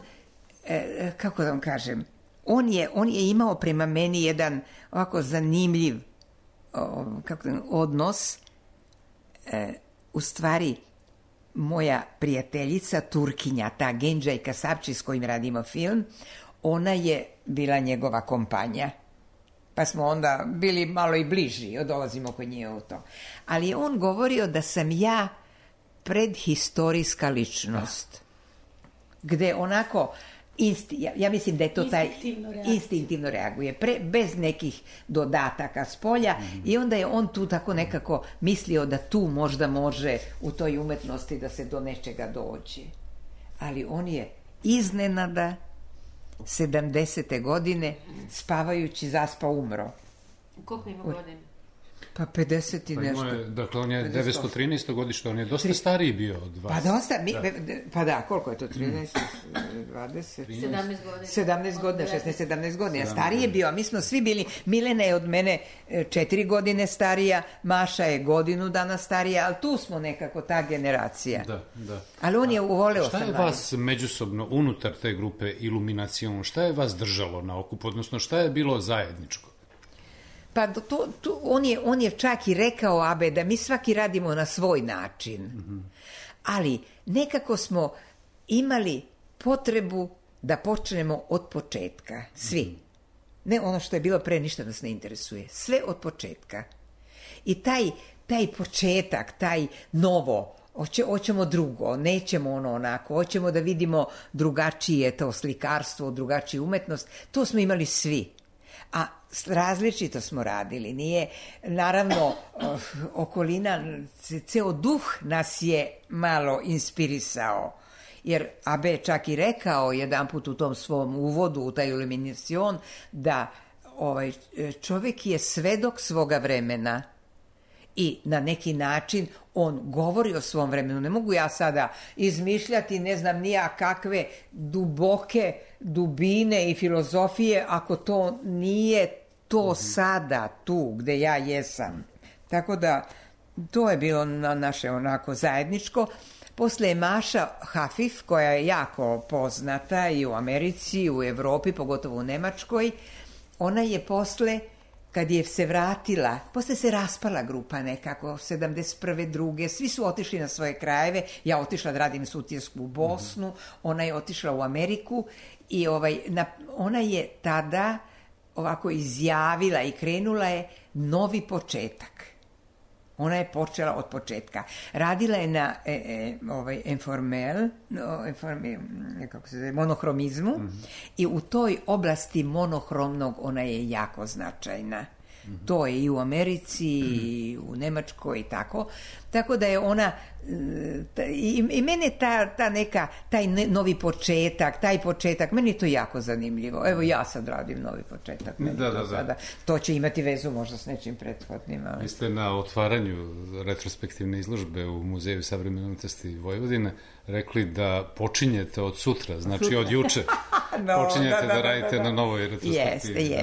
kako da vam kažem, on je imao prema meni jedan ovako zanimljiv odnos. U stvari, moja prijateljica, Turkinja, ta Genđaj Kasapči s kojim radimo film, ona je bila njegova kompanja. Pa smo onda bili malo i bliži, dolazimo kod nje u to. Ali je on govorio da sam ja predhistorijska ličnost. Gde onako, ja mislim da je to taj instinktivno reaguje, bez nekih dodataka s polja, i onda je on tu tako nekako mislio da tu možda može u toj umetnosti da se do nečega dođe. Ali on je iznenada 70. godine spavajući zaspao, umro. Koliko ima godine? Pa 50 i nešto. Dakle, on je 913. godište, on je dosta stariji bio od vas. Pa dosta, pa da, koliko je to, 13, 20? 17 godina. 17 godina, 16-17 godina. Stariji je bio, a mi smo svi bili, Milena je od mene 4 godine starija, Maša je godinu dana starija, ali tu smo nekako ta generacija. Da. Ali on je uvoleo sam. Šta je vas međusobno, unutar te grupe Iluminacion, šta je vas držalo na okupu, odnosno šta je bilo zajedničko? Pa on je čak i rekao, Abe, da mi svaki radimo na svoj način. Ali nekako smo imali potrebu da počnemo od početka. Svi. Ne ono što je bilo pre, ništa nas ne interesuje. Sve od početka. I taj početak, taj novo, hoćemo drugo, nećemo ono onako, hoćemo da vidimo drugačije to slikarstvo, drugačiju umetnost. To smo imali svi. A različito smo radili, nije, naravno, okolina, ceo duh nas je malo inspirisao, jer Abe je čak i rekao jedan put u tom svom uvodu u taj Iluminacion da čovjek je svedok svoga vremena i na neki način on govori o svom vremenu. Ne mogu ja sada izmišljati, ne znam nija kakve duboke dubine i filozofije ako to nije to sada tu gde ja jesam. Tako da to je bilo naše onako zajedničko. Posle je Maša Hafif, koja je jako poznata i u Americi, i u Evropi, pogotovo u Nemačkoj. Ona je posle, kad je se vratila, posle se raspala grupa nekako, 71. druge, svi su otišli na svoje krajeve, ja otišla da radim sutjesku u Bosnu, ona je otišla u Ameriku i ona je tada ovako izjavila i krenula je novi početak. Ona je počela od početka. Radila je na monohromizmu i u toj oblasti monohromnog ona je jako značajna. To je i u Americi, i u Nemačkoj i tako. Tako da je ona, i mene taj novi početak, meni je to jako zanimljivo. Evo ja sad radim novi početak. Da. To će imati vezu možda s nečim prethodnim. Ali... Vi ste na otvaranju retrospektivne izložbe u Muzeju savremene umetnosti Vojvodine rekli da počinjete od sutra, znači od juče. Počinjete da radite na novoj retrospektivi.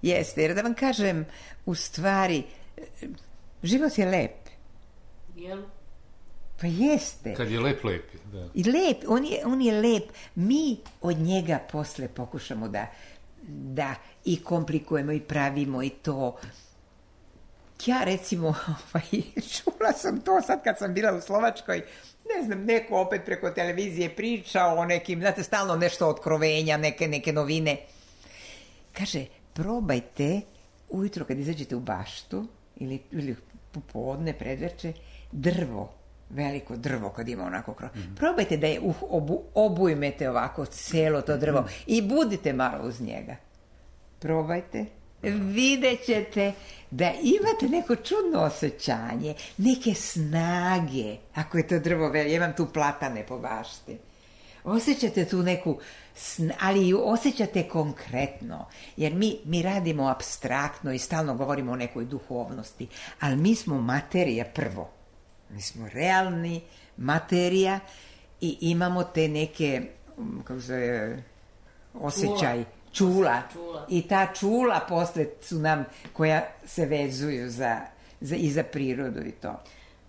Jeste, jer da vam kažem, u stvari, život je lep. Jel? Pa jeste. Kad je lep, lep je, da. I lep, on je lep. Mi od njega posle pokušamo da i komplikujemo i pravimo i to. Ja recimo, čula sam to sad kad sam bila u Slovačkoj, ne znam, neko opet preko televizije pričao o nekim, znate, stalno nešto otkrovenja, neke novine. Kaže, probajte ujutro kad izađete u baštu ili popodne, predveče, drvo veliko drvo kad ima onako krov. Probajte da je obujmete ovako celo to drvo i budite malo uz njega. Probajte. Vidjet ćete da imate neko čudno osjećanje, neke snage, ako je to drvo veliko. Ja imam tu platane po bašti. Osjećate tu neku, ali ju osjećate konkretno, jer mi radimo apstraktno i stalno govorimo o nekoj duhovnosti, ali mi smo materija prvo. Mi smo realni materija i imamo te neke, kako se osjećaj, čula. I ta čula posle su nam, koja se vezuju i za prirodu i to.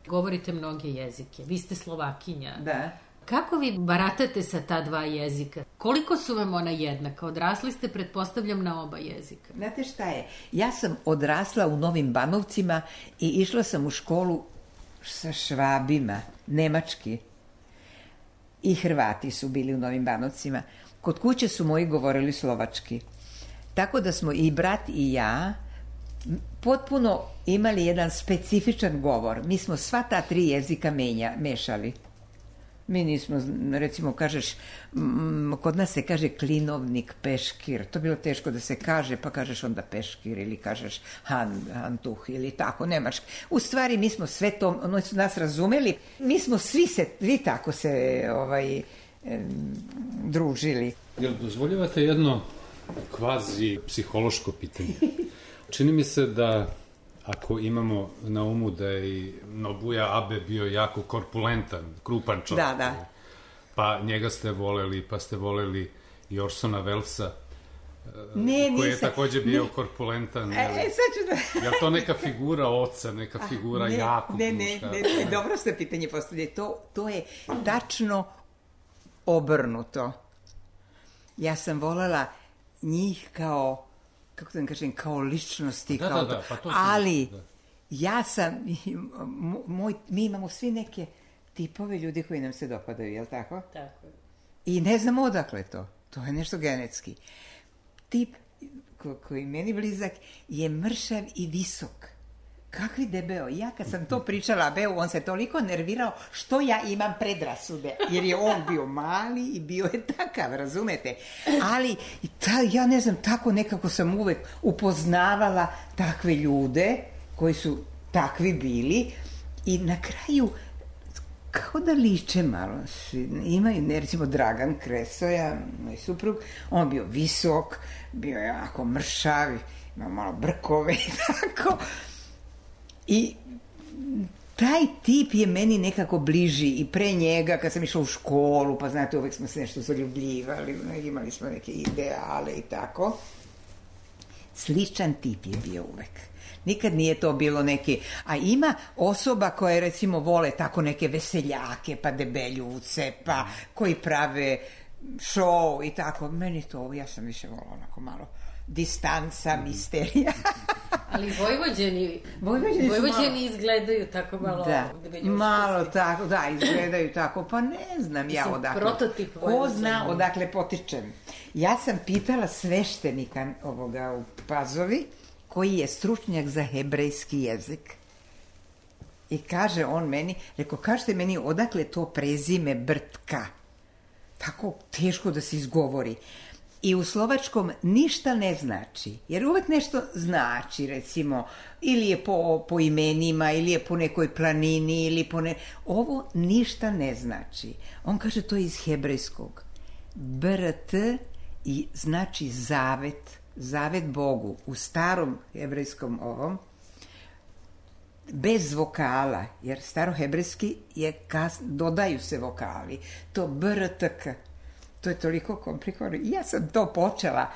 Govorite mnoge jezike. Vi ste Slovakinja. Da. Kako vi baratate sa ta dva jezika? Koliko su vam ona jednaka? Odrasli ste, pretpostavljam, na oba jezika. Znate šta je? Ja sam odrasla u Novim Banovcima i išla sam u školu sa Švabima, nemački. I Hrvati su bili u Novim Banovcima. Kod kuće su moji govorili slovački. Tako da smo i brat i ja potpuno imali jedan specifičan govor. Mi smo sva ta 3 jezika mešali. Mi nismo, recimo, kažeš, kod nas se kaže klinovnik, peškir. To je bilo teško da se kaže, pa kažeš onda peškir ili kažeš hantuh ili tako, nemački. U stvari, mi smo sve to, oni su nas razumeli, mi smo svi tako se družili. Jel dozvoljavate jedno kvazi psihološko pitanje? Čini mi se da ako imamo na umu da je i Nobuja Abe bio jako korpulentan, krupan čovjek, pa njega ste voleli, pa ste voleli i Orsona Wellesa, koji je također bio korpulentan. Sad ću je to neka figura oca, neka figura jakog muška? Ne, dobro ste pitanje postavili. To je tačno obrnuto. Ja sam volela njih kao, kako da kažem, kao ličnosti, ali ja sam, mi imamo svi neke tipove ljudi koji nam se dopadaju, jel tako? Tako je. I ne znamo odakle to je nešto genetski. Tip koji meni blizak je mršav i visok. Kakvi debeo. Ja kad sam to pričala Abeu, on se toliko nervirao što ja imam predrasude. Jer je on bio mali i bio je takav, razumete? Ali, ja ne znam, tako nekako sam uvek upoznavala takve ljude koji su takvi bili i na kraju kao da liče malo. Imaju, recimo, Dragan Kresoja, moj suprug, on bio visok, bio je jako mršav, imao malo brkove i tako. I taj tip je meni nekako bliži i pre njega kad sam išla u školu, pa znate, uvek smo se nešto zaljubljivali, imali smo neke ideale i tako. Sličan tip je bio uvek. Nikad nije to bilo neki, a ima osoba koje recimo vole tako neke veseljake, pa debeljuce, pa koji prave show i tako. Meni to, ja sam više volila onako malo distanca, misterija. Ali Vojvođani izgledaju tako malo... Malo tako, izgledaju tako, pa ne znam ja odakle. Prototip Ko zna odakle potičem. Ja sam pitala sveštenika ovoga u Pazovi, koji je stručnjak za hebrejski jezik. I kaže on meni, kažete meni odakle to prezime Brtka. Tako teško da se izgovori. I u slovačkom ništa ne znači, jer uvek nešto znači, recimo, ili je po imenima, ili je po nekoj planini, ili ovo ništa ne znači. On kaže to je iz hebrejskog. BRT i znači zavet Bogu. U starom hebrejskom ovom, bez vokala, jer starohebrejski je dodaju se vokali. To BRTK. To je toliko komplikovano. I ja sam to počela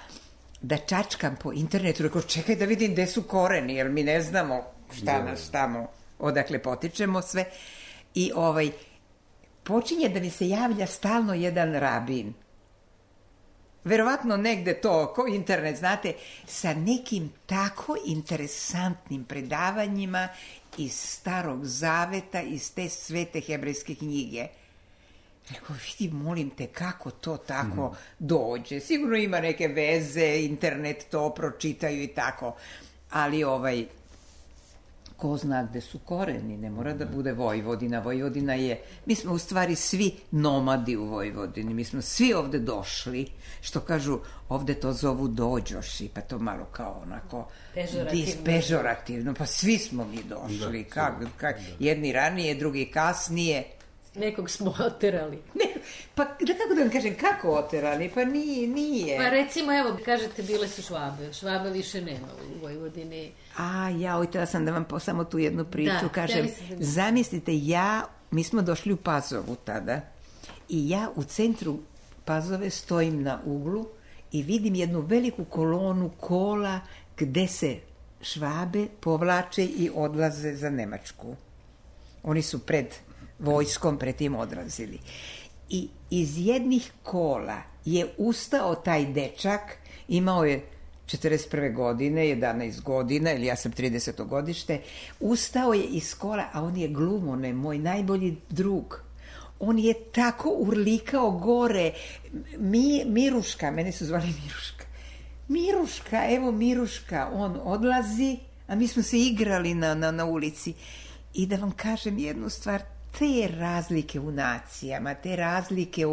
da čačkam po internetu. Rekao, čekaj da vidim gde su koreni, jer mi ne znamo šta nas tamo, odakle potičemo sve. I počinje da mi se javlja stalno jedan rabin. Verovatno negde to, ko internet, znate, sa nekim tako interesantnim predavanjima iz Starog Zaveta, iz te svete hebrejske knjige. Rekao, vidi, molim te, kako to tako dođe. Sigurno ima neke veze, internet to pročitaju i tako. Ali ko zna gde su koreni, ne mora da bude Vojvodina. Vojvodina je, mi smo u stvari svi nomadi u Vojvodini, mi smo svi ovde došli, što kažu, ovde to zovu dođoši, pa to malo kao onako pežorativno, pa svi smo mi došli, jedni ranije, drugi kasnije. Nekog smo oterali. Pa kako da vam kažem, kako oterali? Pa nije. Pa recimo, evo, kažete, bile su Švabe. Švabe više nema u Vojvodini. Htjela sam da vam samo tu jednu priču kažem. Zamislite, mi smo došli u Pazovu tada i ja u centru Pazove stojim na uglu i vidim jednu veliku kolonu kola gde se Švabe povlače i odlaze za Nemačku. Oni su pred vojskom pretim odrazili. I iz jednih kola je ustao taj dečak, imao je 41. godine, 11 godina, ili ja sam 30. godište, ustao je iz kola, a on je Glumone, moj najbolji drug. On je tako urlikao gore. Miruška, mene su zvali Miruška, on odlazi, a mi smo se igrali na ulici. I da vam kažem jednu stvar, te razlike u nacijama, te razlike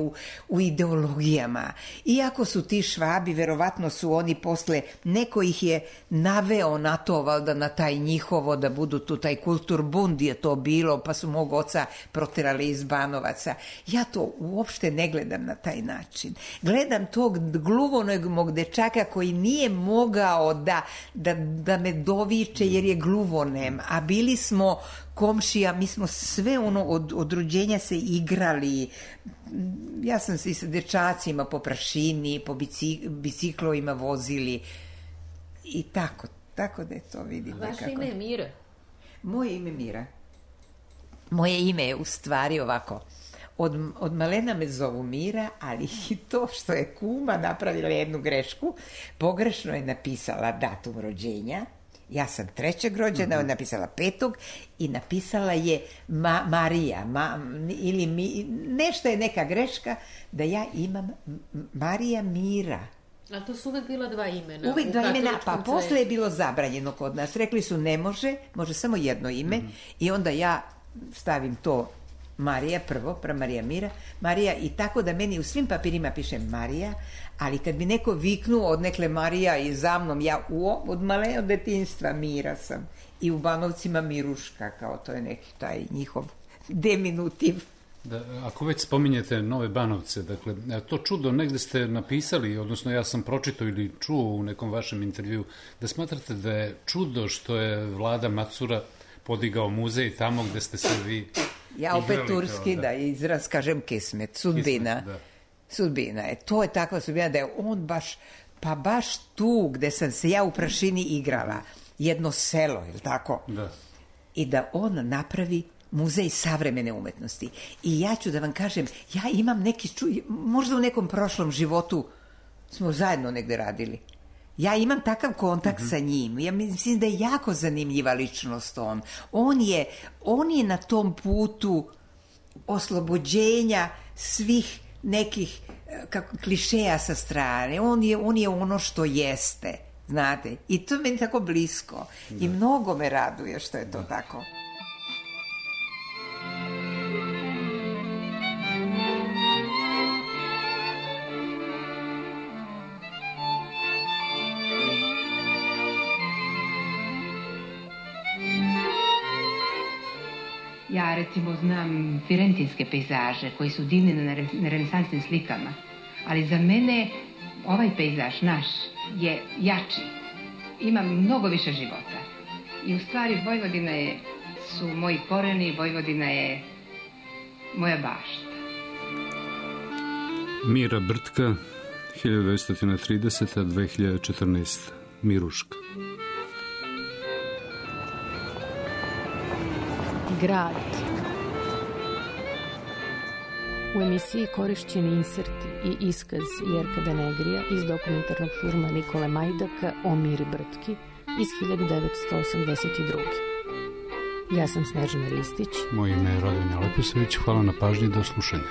u ideologijama. Iako su ti Švabi, verovatno su oni posle, neko ih je naveo na to, valjda na taj njihovo, da budu tu, taj kulturbund je to bilo, pa su mog oca proterali iz Banovaca. Ja to uopšte ne gledam na taj način. Gledam tog gluvonog mog dečaka koji nije mogao da me doviče jer je gluvonem, a bili smo komšija, mi smo sve od rođenja se igrali. Ja sam se i sa dečacima po prašini, po biciklovima vozili i tako da je to, vidite. Vaše ime je Mira? Moje ime Mira. Moje ime je u stvari ovako. Od malena me zovu Mira, ali i to što je kuma napravila jednu grešku, pogrešno je napisala datum rođenja. Ja sam 3. rođena, ona je napisala 5. i napisala je Marija, ili nešto je neka greška, da ja imam Marija Mira. A to su uvek bila 2 imena? Uvek 2 imena, pa posle je bilo zabranjeno kod nas. Rekli su ne može samo jedno ime i onda ja stavim to Marija prvo, Marija Mira, Marija, i tako da meni u svim papirima piše Marija, ali kad bi neko viknuo od nekle Marija i za mnom, ja od malenog detinjstva Mira sam. I u Banovcima Miruška, kao to je neki taj njihov deminutiv. Ako već spominjete Nove Banovce, dakle, to čudo negde ste napisali, odnosno ja sam pročitao ili čuo u nekom vašem intervju, da smatrate da je čudo što je Vlada Macura podigao muzej tamo gde ste se vi ja opet turski, da izraz kažem kismet, sudbina. Sudbina je, to je takva sudbina da je on baš tu gde sam se ja u prašini igrala, jedno selo, je li tako? Da. I da on napravi muzej savremene umetnosti. I ja ću da vam kažem, ja imam možda u nekom prošlom životu smo zajedno negde radili. Ja imam takav kontakt sa njim. Ja mislim da je jako zanimljiva ličnost on. On je na tom putu oslobođenja svih nekih klišeja sa strane. On je ono što jeste, znate. I to je meni tako blisko. I mnogo me raduje što je to tako. Ja recimo znam firentinske pejzaže koji su divni na renesansnim slikama, ali za mene ovaj pejzaž naš je jači, ima mnogo više života. I u stvari Vojvodina su moji koreni, Vojvodina je moja bašta. Mira Brtka, 1930-2014, Miruška. Grad. U emisiji korišćeni inserti i iskaz Jerka Denegrija iz dokumentarnog filma Nikole Majdaka o Miri Brtki iz 1982. Ja sam Snežana Ristić. Moje ime je Radomir Leposavić. Hvala na pažnji, do slušanja.